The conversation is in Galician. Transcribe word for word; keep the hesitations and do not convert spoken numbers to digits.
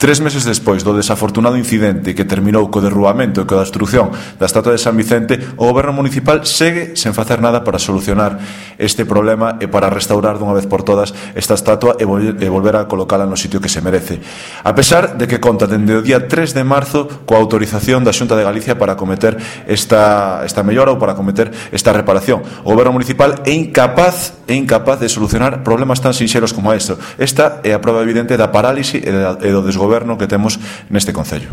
Tres meses despois do desafortunado incidente que terminou co derrubamento e coa destrucción da estatua de San Vicente, o Goberno municipal segue sen facer nada para solucionar este problema e para restaurar dunha vez por todas esta estatua e volver a colocala no sitio que se merece. A pesar de que conta dende o día tres de marzo coa autorización da Xunta de Galicia para cometer esta, esta mellora ou para cometer esta reparación. O Goberno municipal é incapaz, é incapaz de solucionar problemas tan sinxeros como isto. Esta é a prova evidente da parálise e do desgoberno que temos neste concello.